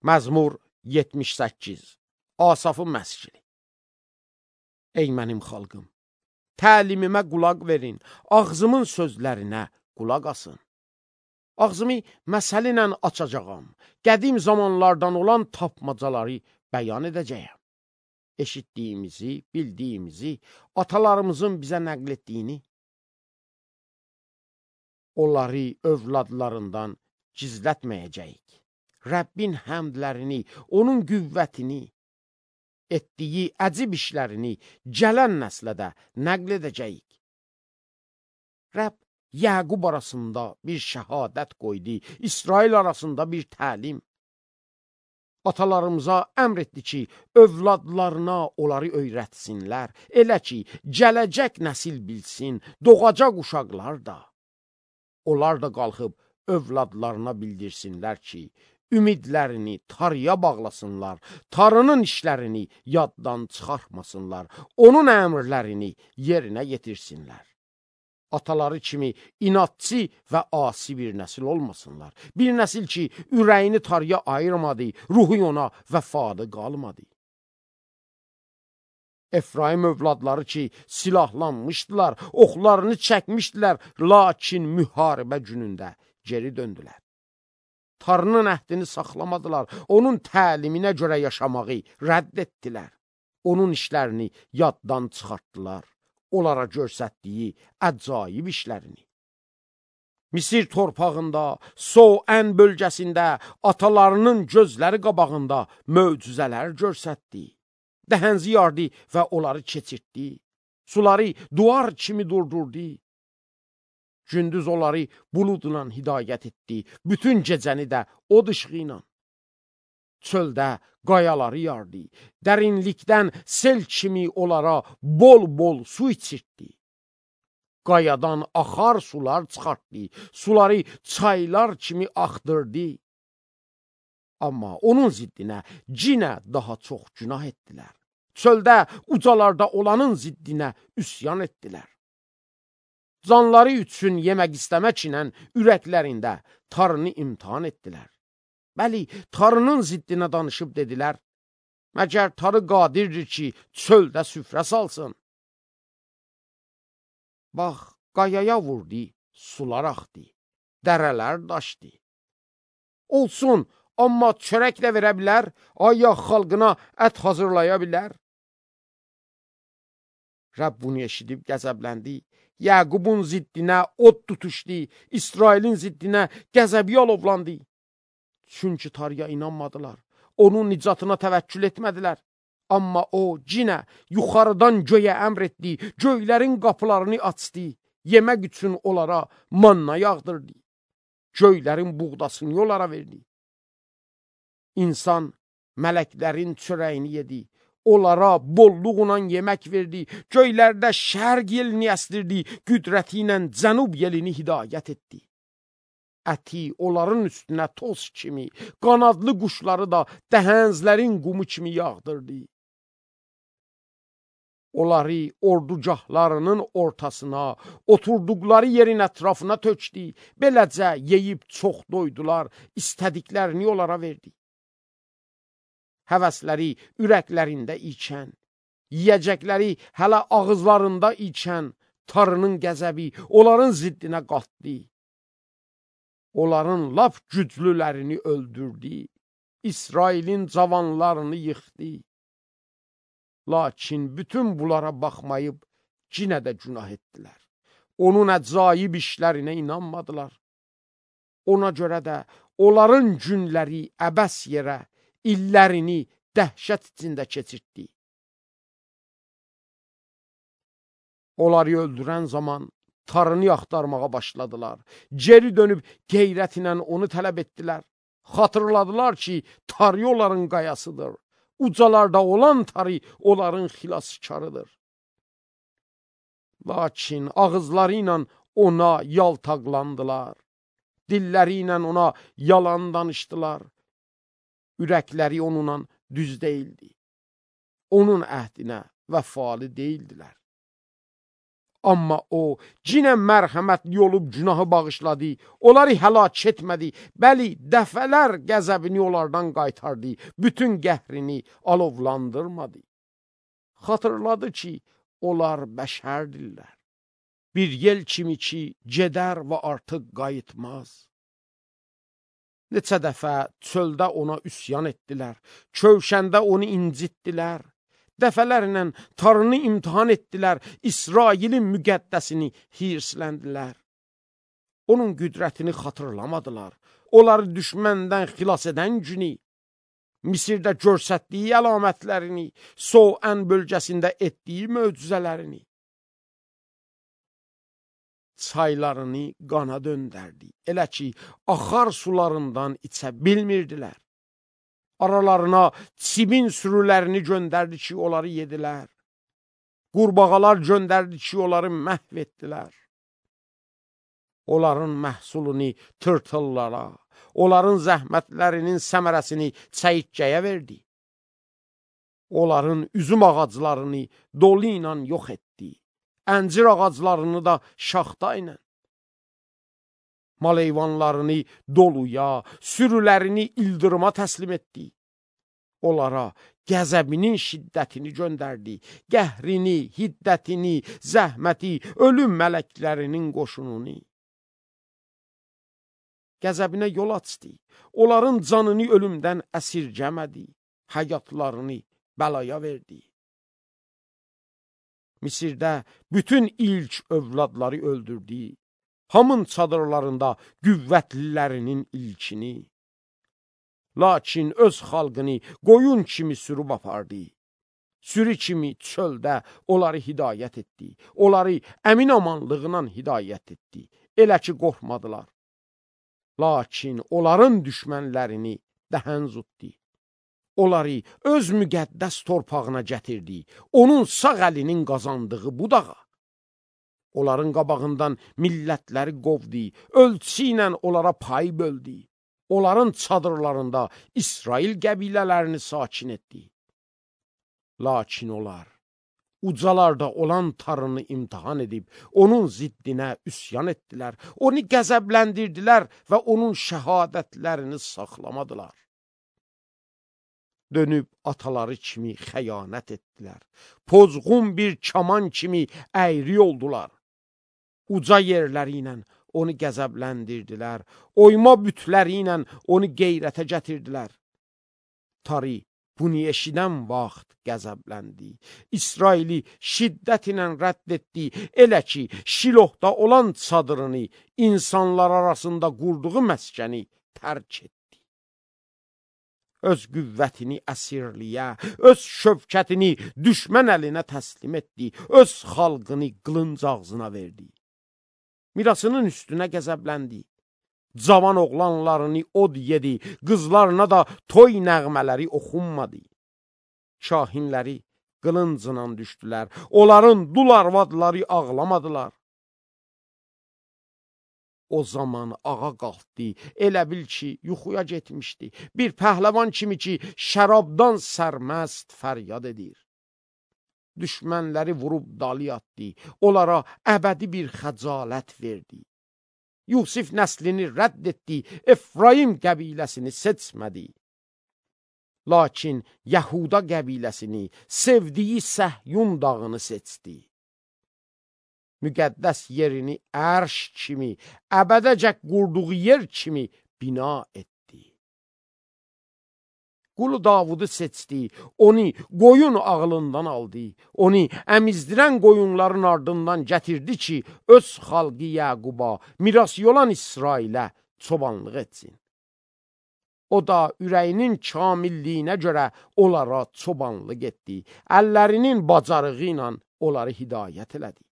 Məzmur 78. Asafın məscidi. Ey mənim xalqım, təlimimə qulaq verin, ağzımın sözlərinə qulaq asın. Ağzımı məsələ ilə açacağam, qədim zamanlardan olan tapmacaları bəyan edəcəyəm. Eşitdiyimizi, bildiyimizi, atalarımızın bizə nəql etdiyini, onları övladlarından gizlətməyəcəyik. Rəbbin həmdlərini, onun qüvvətini, etdiyi əcib işlərini gələn nəslə də nəql edəcəyik. Rəbb Yəqub arasında bir şəhadət qoydu, İsrail arasında bir təlim. Atalarımıza əmr etdi ki, övladlarına onları öyrətsinlər, elə ki, gələcək nəsil bilsin, doğacaq uşaqlar da. Onlar da qalxıb övladlarına bildirsinlər ki, ümidlərini tarıya bağlasınlar, tarının işlərini yaddan çıxartmasınlar, onun əmrlərini yerinə yetirsinlər. Ataları kimi inatçı və asi bir nəsil olmasınlar. Bir nəsil ki, ürəyini tarıya ayırmadı, ruhu ona vəfalı qalmadı. Efraim övladları ki, silahlanmışdılar, oxlarını çəkmişdilər, lakin müharibə günündə geri döndülər. Tarının əhdini saxlamadılar, onun təliminə görə yaşamağı rədd etdilər. Onun işlərini yaddan çıxartdılar, onlara görsətdiyi əcaib işlərini. Misir torpağında, Soən bölgəsində, atalarının gözləri qabağında möcüzələr görsətdi. Dəhənzi yardı və onları keçirtdi. Suları duvar kimi durdurdu. Gündüz onları buludla hidayət etdi. Bütün gecəni də od ışığı ilə. Çöldə qayaları yardı. Dərinlikdən sel kimi onlara bol-bol su içirtdi. Qayadan axar sular çıxartdı. Suları çaylar kimi axdırdı. Amma onun ziddinə cinə daha çox günah etdilər. Çöldə, ucalarda olanın ziddinə üsyan etdilər. Canları üçün yemək istəmək ilə ürəklərində tarını imtihan etdilər. Bəli, tarının ziddinə danışıb dedilər, məgər tarı qadirdir ki, çöldə süfrə salsın. Bax, qayaya vurdu, sular axdı, dərələr daşdı. Olsun, amma çörək də verə bilər, ayaq xalqına ət hazırlaya bilər. Rəbb bunu eşidib qəzəbləndi. Yəqubun ziddinə od tutuşdu, İsrailin ziddinə qəzəbi alovlandı. Çünki tarıya inanmadılar, onun nicatına təvəkkül etmədilər. Amma o cinə yuxarıdan göyə əmr etdi, göylərin qapılarını açdı, yemək üçün onlara manna yağdırdı, göylərin buğdasını onlara verdi. İnsan mələklərin çörəyini yedi, onlara bolluğla yemək verdi, göylərdə şərq yelini əsdirdi, qüdrəti ilə cənub yelini hidayət etdi. Əti onların üstünə toz kimi, qanadlı quşları da dəhənzlərin qumu kimi yağdırdı. Onları ordugahlarının ortasına, oturduqları yerin ətrafına tökdü, beləcə yeyib çox doydular, istədiklərini onlara verdi. Həvəsləri ürəklərində içən, yiyəcəkləri hələ ağızlarında içən tarının qəzəbi onların ziddinə qatdı. Onların lap güclülərini öldürdü, İsrailin cavanlarını yıxdı. Lakin bütün bunlara baxmayıb cinə də günah etdilər. Onun əcaib işlərinə inanmadılar. Ona görə də onların günləri əbəs yerə, illərini dəhşət içində keçirtdi. Onları öldürən zaman tarını axtarmağa başladılar. Geri dönüb qeyrətlə onu tələb etdilər. Xatırladılar ki, tarı onların qayasıdır. Ucalarda olan tarı onların xilaskarıdır. Lakin ağızları ilə ona yaltaqlandılar. Dilləri ilə ona yalan danışdılar. Ürəkləri onunla düz deyildi. Onun əhdinə vəfalı deyildilər. Amma o, cinə mərhəmətli olub günahı bağışladı, onları həlak etmədi, bəli, dəfələr qəzəbini onlardan qaytardı, bütün qəhrini alovlandırmadı. Xatırladı ki, onlar bəşərdirlər. Bir yel kimi ki, gedər və artıq qayıtmaz. Neçə dəfə çöldə ona üsyan etdilər, çövşəndə onu incitdilər. Dəfələrlə Tanrını imtihan etdilər, İsrailin müqəddəsini hirsləndilər. Onun qüdrətini xatırlamadılar. Onları düşməndən xilas edən günü, Misirdə göstərdiyi əlamətlərini, Soan bölgəsində etdiyi möcüzələrini, çaylarını qana döndərdi. Elə ki, axar sularından içə bilmirdilər. Aralarına çibin sürülərini göndərdi ki, onları yedilər. Qurbağalar göndərdi ki, onları məhv etdilər. Onların məhsulunu tırtıllara, onların zəhmətlərinin səmərəsini çəyirtkəyə verdi. Onların üzüm ağaclarını dolu ilə yox etdi. Əncir ağaclarını da şaxta ilə. Mal heyvanlarını doluya, sürülərini ildırıma təslim etdi. Onlara qəzəbinin şiddətini göndərdi, qəhrini, hiddətini, zəhməti, ölüm mələklərinin qoşununu. Qəzəbinə yol açdı, onların canını ölümdən əsirgəmədi, həyatlarını bəlaya verdi. Misirdə bütün ilk övladları öldürdü, hamın çadırlarında qüvvətlilərinin ilkini. Lakin öz xalqını qoyun kimi sürüb apardı. Sürü kimi çöldə onları hidayət etdi. Onları əmin amanlığına hidayət etdi. Elə ki, qorxmadılar. Lakin onların düşmənlərini dəhən zutdi. Onları öz müqəddəs torpağına gətirdi. Onun sağ əlinin qazandığı budağa. Onların qabağından millətləri qovdu. Ölçü ilə onlara pay böldü. Onların çadırlarında İsrail qəbilələrini sakin etdi. Lakin onlar ucalarda olan Tanrını imtihan edib, onun ziddinə üsyan etdilər, onu qəzəbləndirdilər və onun şəhadətlərini saxlamadılar. Dönüb ataları kimi xəyanət etdilər, pozğun bir kaman kimi əyri oldular. Uca yerləri ilə onu qəzəbləndirdilər, oyma bütləri ilə onu qeyrətə gətirdilər. Tari bunu eşidən vaxt qəzəbləndi. İsraili şiddət ilə rədd etdi, elə ki, Şilohda olan çadırını, insanlar arasında qurduğu məskəni tərk etdi. Öz qüvvətini əsirliyə, öz şövkətini düşmən əlinə təslim etdi, öz xalqını qılınc ağzına verdi. Mirasının üstünə qəzəbləndi. Cavan oğlanlarını od yedi, qızlarına da toy nəğmələri oxunmadı. Şahinləri qılıncla düşdülər, onların dul arvadları ağlamadılar. O zaman ağa qalxdı, elə bil ki, yuxuya getmişdi. Bir pəhləvan kimi ki, şərabdan sərməst fəryad edir. Düşmənləri vurub dalı atdı, onlara əbədi bir xəcalət verdi. Yusif nəslini rədd etdi, Efraim qəbiləsini seçmədi. Lakin Yahuda qəbiləsini, sevdiyi Səhyun dağını seçdi. Müqəddəs yerini ərş kimi, əbədəcək qurduğu yer kimi bina etdi. Qulu Davudu seçdi, onu qoyun ağlından aldı, onu əmizdirən qoyunların ardından gətirdi ki, öz xalqı Yaquba, mirası olan İsrailə çobanlıq etsin. O da ürəyinin kamilliyinə görə onlara çobanlıq etdi, əllərinin bacarığı ilə onları hidayət elədi.